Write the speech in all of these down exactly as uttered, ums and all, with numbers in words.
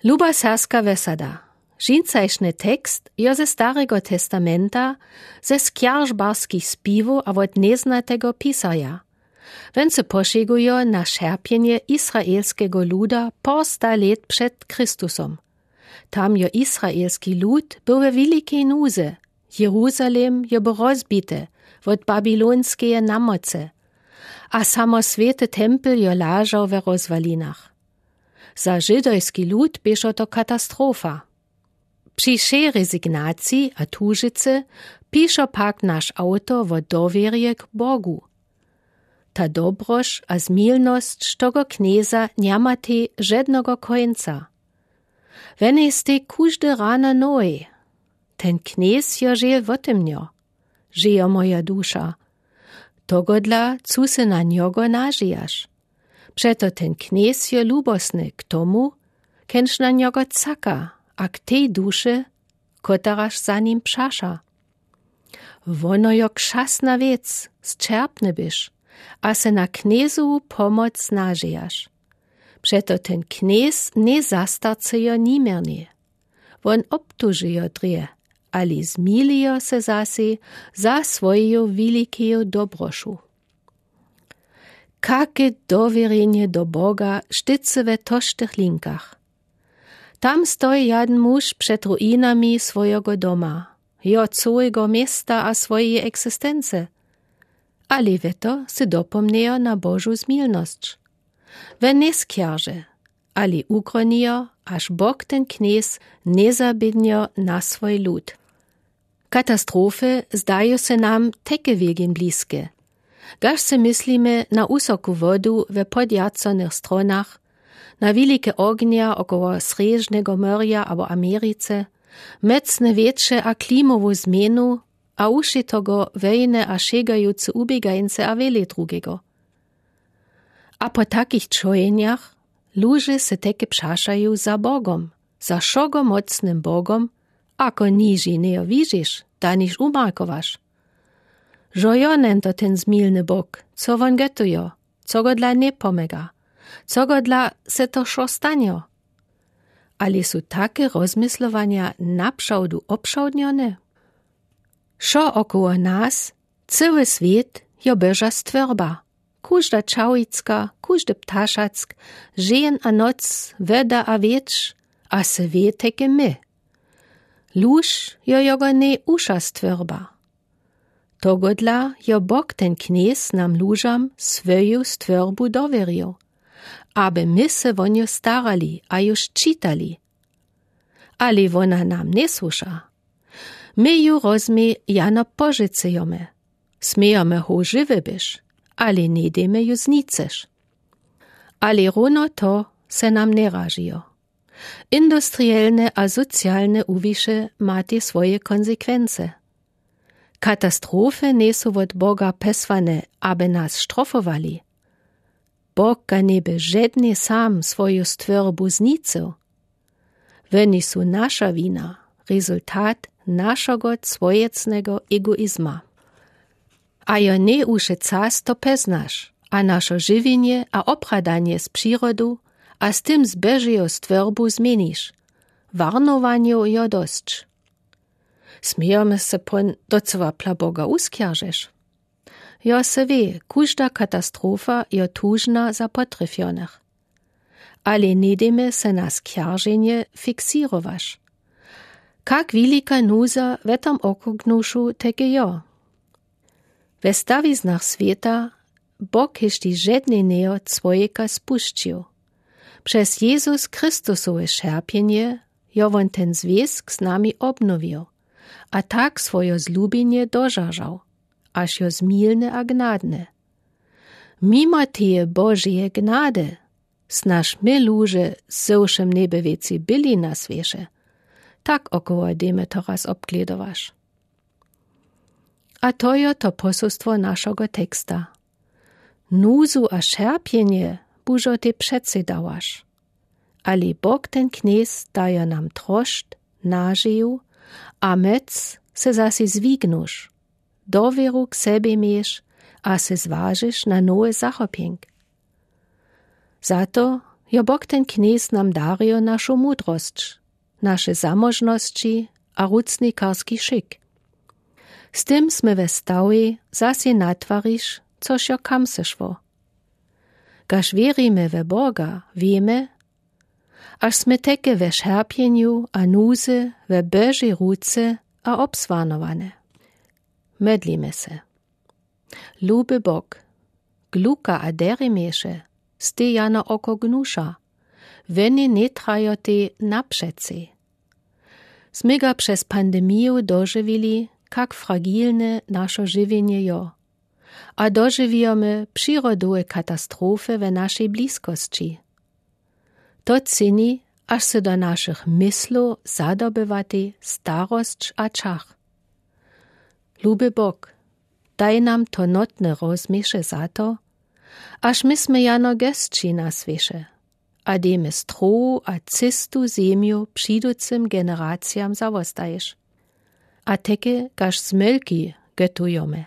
Luba serbska wesada. Žincajšny tekst jo ze starego testamenta, ze skjaržbarskich spiwow a wot njeznatego pisarja. Wón se pošegujo na šerpjenje izraelskego luda porsta let před christusom. Tam jo izraelski lud był we wilikej nuze. Jeruzalem jo był rozbity wot babylonskeje namocy, a samo swěty tempel jo lažał we rozwalinach. Za žydojski lud běšo to katastrofa. Při wšej rezignaciji a tužicy pišo pak naš awtor wot dowěrje k bogu. Ta dobroš a zmilnosć togo knjeza njematej žednogo kónca. Wón je stej kóžde rano nowy. Ten knjez jo žel wotymnjo, žejo moja duša. Togodla cu se na njogo nažijaš. Přeto ten knjez jo lubosny k tomu, kenž na njogo caka, a k tej duše, koteraž za nim přaša. Wono jo kšasna wěc, sćerpny byš, a se na knjezowu pomoc nažijaš. Přeto ten knjez njezastarcejo niměrnje. Wón obtužijo drje, ale zmilijo se zasej za swojeju wilikeju dobrošu. Kake dowěrjenje do boga štycy we toštych linkach. Tam stoji jaden muž před ruinami swojeho doma, jo cołego města a swojeje eksistence. Ale we to se dopomnjejo na božu zmilnosć. Wón njeskjarže, ale ukronijo, až bog ten knjez njezabědnjo na swój lud. Katastrofy zdaju se nam teke wěkin bliske, gaž se myslimy na wusoku wodu we podjarconych stronach, na wilike ognja około srježnego morja abo americe, mocne wětrze a klimowu změnu, a wuši togo wojny a šegajuce wuběgańce a wjele drugego. A po takich čojenjach luže se teke přašaju za bogom, za wšogomocnym bogom, ako niž jineho widźiš, da niž umarkowaš. Žo jo njen to ten zmilny bog, co wón getojo, co go dla njepomega, co go dla se to wšo stanjo. Ale su take rozmyslowanja naprawdu obšawdnjone? Wšo około nas, cyły swět jo boža stworba. Kóżda čałicka, kóżdy ptaszatk, žen a noc, woda a wětrz, a se wě teke my. Luž jo jogo nejwusza stworba. Togodla jo bog ten knjez nam lužam swoju stworbu dowěrił, aby my se wo nju starali a ju ščitali. Ale wona nam njesłuša. My ju rozmej jano požicujemy. Smejemy ho žiwy byš, ale njedejmy ju znicyć. Ale równo to se nam njeražijo. Industrielne a socialne wuwiše matej swoje konsekwence. Katastrofy njejsu wot boga pesłane, aby nas štrofowali. Bog ga njeby žedny sam swoju stworbu znicył. Woni su naša wina, rezultat našego swojecnego egoizma. A jo nejwuši czas to peznaš, a našo žiwjenje a obhadanje z přirodu a z tym z božeju stworbu změniš. Warnowanjow jo dosć. Smejemy se pón, docyła pla boga wuskjaržiš? Jo se wě, kóżda katastrofa jo tužna za potrefionych. Ale njedejmy se na skjarženje fiksirowaś. Kak wilika nuza we tom okrugnuszu teke jo? We stawiznach swěta bog hišti žedneneho człojeka spušćił. Přez jezus christusowe šerpjenje jo wón ten zwězk z nami obnowił, a tak swojo zlubjenje dožažał, až jo zmilny a gnadny. Mimo teje božeje gnady snaž my luže z wšym njeby wěcy byli na swěše. Tak około dejmy to raz obgledowaś. A to jo to poselstwo našogo teksta. Nuzu a šerpjenje bužo te přecedawaś. Ale bog ten knjez dajo nam trošt, nažiju a móc se zase zwignuš, dowěru k sebie měš a se zwažiš na nowy zachopjenk. Za to Jo bok ten knjez nam darił našo mudrosć, naše zamóžnosći a rucnikarski šik. Z tym smy we stałej zasej natwariš, což jo kam sešło. Gaž wěrimy we boga, wěmy, až smy teky we šerpjenju a nuzy we božej ruce a obswarnowane. Modlimy se. Luby bok, gluka a deremieše, stej jano oko gnuša, weny njetrajotej napřecej. Smy ga přez pandemiju dožiwili, kak fragilne našo žiwjenje jo, a dožiwijomy přirodowe katastrofy we našej bliskosći. To cini, až se do našich myslow zadobywatej starosć a čach. Luby bok, daj nam to notne rozmyšle za to, až my smy jano gesći na swěše, a dejmy strowu a cystu zemju přiducym generacijam zawostaješ. A teky gaž zmylki götujomy,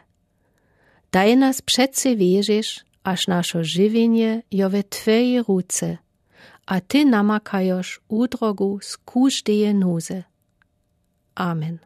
daj nas přecej wěžeš, až našo žiwjenje jo we twojej ruce, a ty namakajoš udrogu z kóždeje nuzy. Amen.